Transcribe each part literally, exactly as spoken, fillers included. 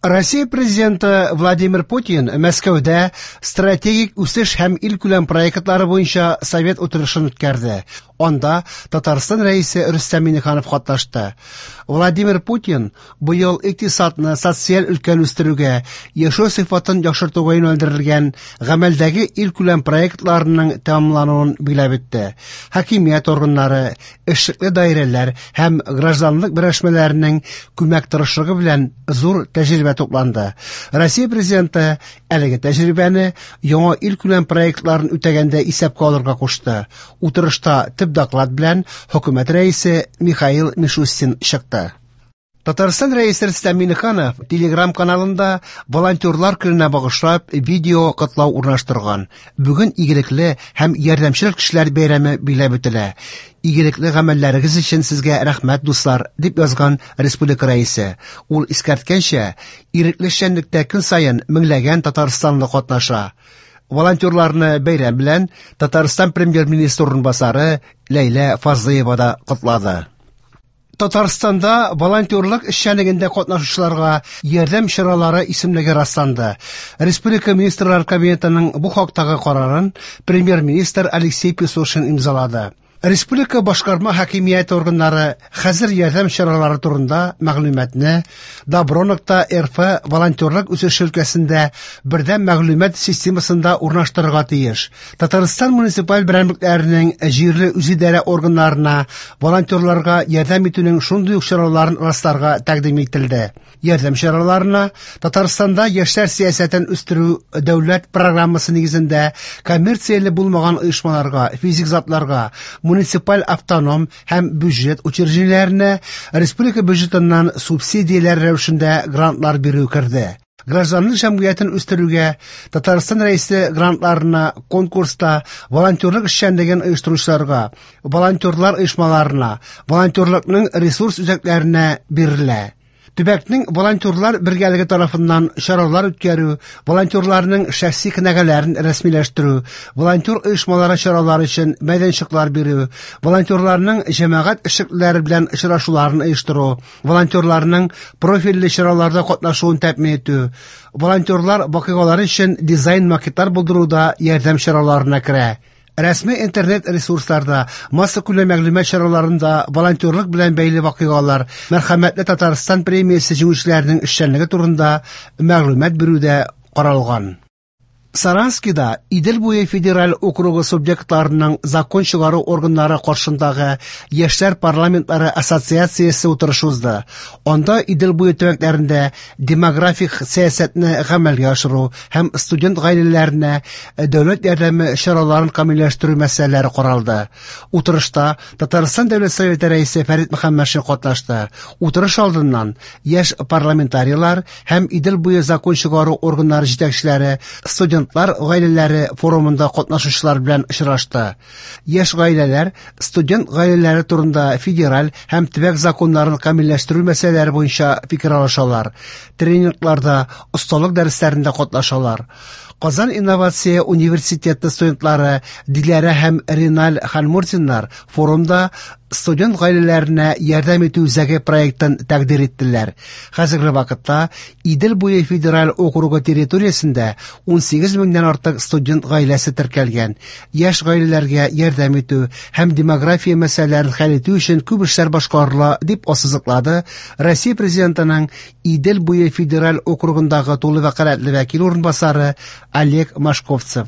Россия президенты Владимир Путин Мәскәүдә стратегик үсеш һәм илкүләм проектлары буенча совет утырышын үткәрде. Анда Татарстан Рәисе Рөстәм Миңнеханов катнашты. Владимир Путин быел икътисадны, социаль өлкәне үстерүгә, яшәү сыйфатын яхшыртуга юнәлдерелгән гамәлдәге илкүләм проектларының тәмамлануын билгеләп үтте. Хакимият органнары, эшлекле даирәләр һәм гражданлык берләшмәләренең күмәк тырышлыгы белән зур тәҗрибә тупланды. Россия президенты әлеге тәҗрибәне яңа илкүләм проектларын үтәгәндә исәпкә алырга кушты. Утырышта төп доклад белән хөкүмәт рәисе Михаил Мишустин чыкты. Татарстан Рәисе Рөстәм Миңнеханов Телеграм каналында волонтерлар көненә багышлап видео котлау урнаштырган. Бүген игелекле һәм ярдәмчел кешеләр бәйрәме билгеләп үтелә. Игелекле гамәлләрегез өчен сезгә рәхмәт, дуслар, дип язган республика рәисе. Ул искәрткәнчә, ирекле эшчәнлектә көн саен меңләгән татарстанлы катнаша. Волонтерларны бәйрәм белән Татарстан премьер-министры урынбасары Ләйлә Фазлыева да котлады. Татарстанда волонтерлык эшчәнлегендә катнашучыларга ярдәм чаралары исемлеге расланды. Республика Министрлар Кабинетының бу хактагы карарын премьер-министр Алексей Песошин имзалады. Республика башкарма хакимияте органнары хәзер ярдәм чаралары турында мәгълүматны добро нокта рф волонтерлык үсеше өлкәсендә бердәм мәгълүмат системасында урнаштырырга тиеш. Татарстан муниципаль берәмлекләренең җирле үзидарә органнарына волонтерларга ярдәм итүнең шундый ук чараларын расларга тәкъдим ителде. Ярдәм чараларына Татарстанда яшьләр сәясәтен үстерү дәүләт программасы нигезендә коммерцияле булмаган оешмаларга, физик затларга, муниципаль автоном һәм бюджет учреждениеләренә республика бюджетыннан субсидияләр рәвешендә грантлар бирү керде. Гражданлык җәмгыятен үстерүгә Татарстан Рәисе грантларына конкурста волонтерлык эшчәнлеген оештыручыларга, волонтерлар оешмаларына, волонтерлыкның ресурс үзәкләренә бирелә. Төбәкнең волонтерлар бергәлеге тарафыннан чаралар үткәрү, волонтерларның шәхси кенәгәләрен рәсмиләштерү, волонтер оешмалары чаралары өчен мәйданчыклар бирү, волонтерларның җәмәгать эшлеклеләре белән очрашуларын оештыру, волонтерларның профильле чараларда катнашуын тәэмин итү, волонтерлар вакыйгалары өчен дизайн-макетлар булдыруда ярдәм чараларына керә. Рәсми интернет ресурсларда, массакүләм мәгълүмат чараларында волонтерлык белән бәйле вакыйгалар, Мәрхәмәтле Татарстан премиясе җиңүчеләренең эшчәнлеге турында мәгълүмат бирү дә каралган. Саранскида Идел буе федераль округы субъектларының закон чыгару органнары каршындагы Яшьләр парламентлары ассоциациясе утырышы узды. Анда Идел буе төбәкләрендә демографик сәясәтне гамәлгә ашыру һәм студент гаиләләренә дәүләт ярдәме чараларын камилләштерү мәсьәләләре каралды. Утырышта Татарстан Дәүләт Советы рәисе Фәрит Мөхәммәтшин катнашты. Утырыш алдыннан яшь парламентарийлар һәм Идел буе закон чыгару органнары җитәкчеләре студент Студентлар гаиләләре форумында катнашучылар белән очрашты. Яшь гаиләләр студент гаиләләре турында федераль һәм төбәк законнарын камилләштерү мәсьәләләре буенча фикер алышалар. Тренингларда, осталык дәресләрендә катнашалар. Казан инновация университеты студентлары Диләрә һәм Риналь Ханмурзиннар форумда студент гаиләләренә ярдәм итү үзәге проектын тәкъдир иттеләр. Хәзерге вакытта Идел буе федераль округы территориясендә ун сигез меңнән артык студент гаиләсе теркәлгән. Яшь гаиләләргә ярдәм итү һәм демография мәсьәләләрен хәл итү өчен күп эшләр башкарыла, дип ассызыклады Россия президентының Идел буе федераль округындагы тулы вәкаләтле вәкил урынбасары Олег Машковцев.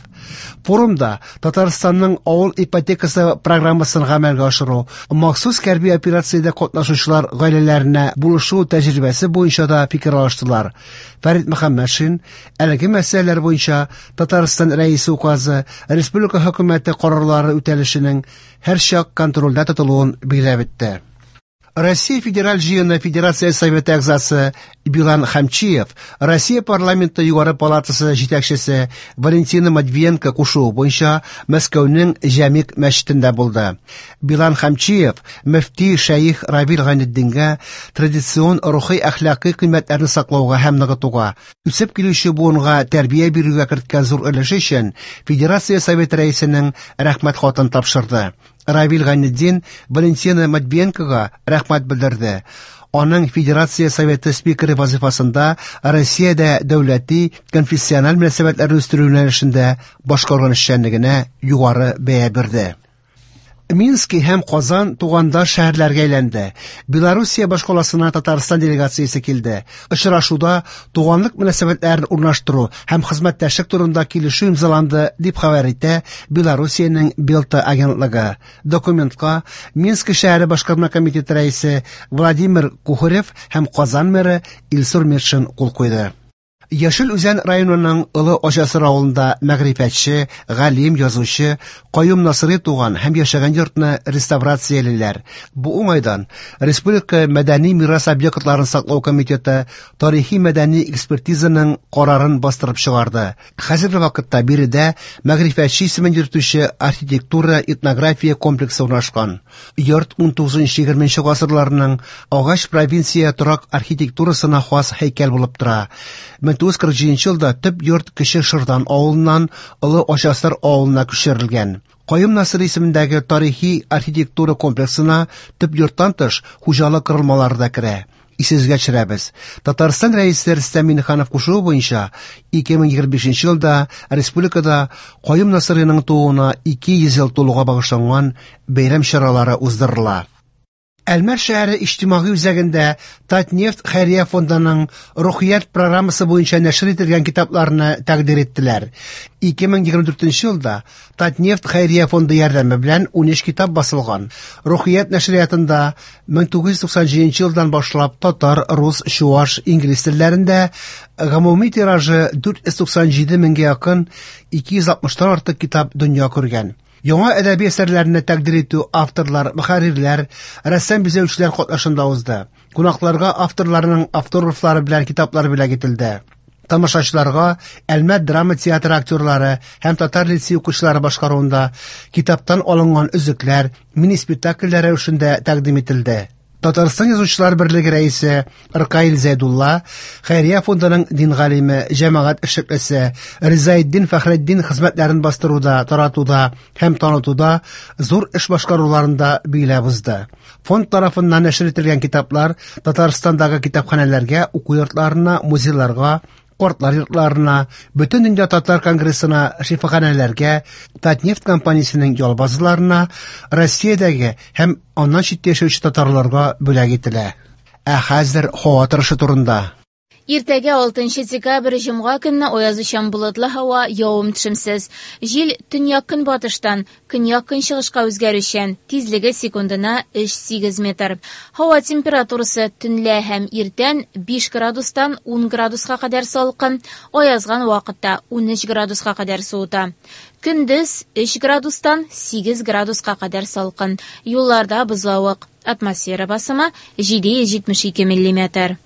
Форумда Татарстанның авыл ипотекасы программасын гамәлгә ашыру, махсус хәрби операциядә катнашучылар гаиләләренә булышу тәҗрибәсе буенча да фикер алыштылар. Фәрит Мөхәммәтшин әлеге мәсьәләләр буенча Татарстан Рәисе указы, республика хөкүмәте карарлары үтәлешенең һәрчак контрольдә тотылуын билгеләп үтте. Россия Федераль җыены Федерация Советы әгъзасы Билан Хамчиев, Россия парламенты югары палатасы җитәкчесе Валентина Матвиенко кушуы буенча Мәскәүнең Җәмигъ мәчетендә булды. Билан Хамчиев мөфти шәех Равил Гайнетдингә традицион рухи әхлакый кыйммәтләрне саклауга һәм ныгытуга, үсеп килүче буынга тәрбия бирүгә керткән зур өлеше өчен Федерация Советы рәисенең рәхмәт хатын тапшырды. Равил Гайнетдин Валентина Матвиенкога рәхмәт белдерде. Аның Федерация Советы спикеры вазифасында Россиядә дәүләти конфессиональ мөнәсәбәтләрне үстерү юнәлешендә башкарган эшчәнлегенә югары бәя бирде. Мински һәм Казан тугандаш шәһәрләргә әйләнде. Белоруссия башкаласына Татарстан делегациясе килде. Очрашуда туганлык мөнәсәбәтләрен урнаштыру һәм хезмәттәшлек турында килешү имзаланды, дип хәбәр итә Белоруссиянең Белта агентлыгы. Документка Минск шәһәре башкарма комитеты рәисе Владимир Кухарев һәм Казан мэры Илсур Метшин кул куйды. Яшел Үзән районының Олы Ачасыр авылында мәгърифәтче, галим, язучы Каюм Насыйри туган һәм яшәгән йортны реставрациялиләр. Бу уңайдан Республика мәдәни мирас объектларын саклау комитеты тарихи-мәдәни экспертизаның карарын бастырып чыгарды. Хәзерге вакытта биредә мәгърифәтче исемен йөртүче архитектура этнография комплексы урнашкан. Йорт ун тугызынчы-егерменче гасырларның агач провинция торак архитектурасына хас һәйкәл булып тора. мең тугыз йөз кырык җиденче елда төп йорт Кече Шырдан авылыннан Олы Ачасыр авылына күчерелгән. Каюм Насыйри исемендәге тарихи архитектура комплексына төп йорттан тыш хуҗалык корылмалары да керә. Исегезгә төшерәбез. Татарстан Рәисе Рөстәм Миңнеханов кушуы буенча ике мең егерме бишенче елда республикада Каюм Насыйриның тууына ике йөз ел тулуга багышланган бәйрәм чаралары уздырыла. Әлмәт шәһәре иҗтимагый үзәгендә Татнефть хәйрия фондының Рухият программасы буенча нәшер ителгән китапларны тәкъдир иттеләр. ике мең егерме дүртенче елда Татнефть хәйрия фонды ярдәме белән ун өч китап басылган. Рухият нәшриятында мең тугыз йөз туксан җиденче елдан башлап татар, рус, чуаш, инглиз телләрендә гомуми тиражы дүрт йөз туксан җиде меңгә якын ике йөз алтмыштан артык китап дөнья күргән. Яңа әдәби әсәрләрне тәкъдир итү авторлар, мөхәррирләр, рәссам бизәүчеләр катнашында узды. Кунакларга авторларның автографлары белән китаплар бүләк ителде. Тамашачыларга Әлмәт драма театры актерлары һәм татар лицей укучылары башкаруында китаптан алынган өзекләр мини-спектакльләр рәвешендә тәкъдим ителде. Татарстан Язучылар берлеге рәисе Ркаил Зәйдулла, Хәйрия фондының дин галиме, җәмәгать эшлеклесе Ризаэддин Фәхретдин хезмәтләрен бастыруда, таратуда һәм танытуда зур эш башкаруларында билгеләп узды. Фонд тарафыннан нәшер ителгән китаплар Татарстандагы китапханәләргә, уку йортларына, музейларга, картлар йортларына, Бөтен дөнья татар конгрессына, шифаханәләргә, Татнефть компаниясенең ял базаларына, Россиядәге һәм аннан читтә яшәүче татарларга бүләк ителә. Ә хәзер һава торышы турында. Иртәгә алтынчы декабрь җомга көнне аязучан болытлы һава, явым-төшемсез. Җил төньяк-көнбатыштан көньяк-көнчыгышка үзгәрүчән, тизлеге секундына өч сигез метр. Һава температурасы төнлә һәм иртән биш градустан ун градуска кадәр салкын, аязган вакытта ун өч градуска кадәр суыта. Көндез өч градустан сигез градуска кадәр салкын. Юлларда бозлавык. Атмосфера басымы җиде йөз җитмеш ике миллиметр.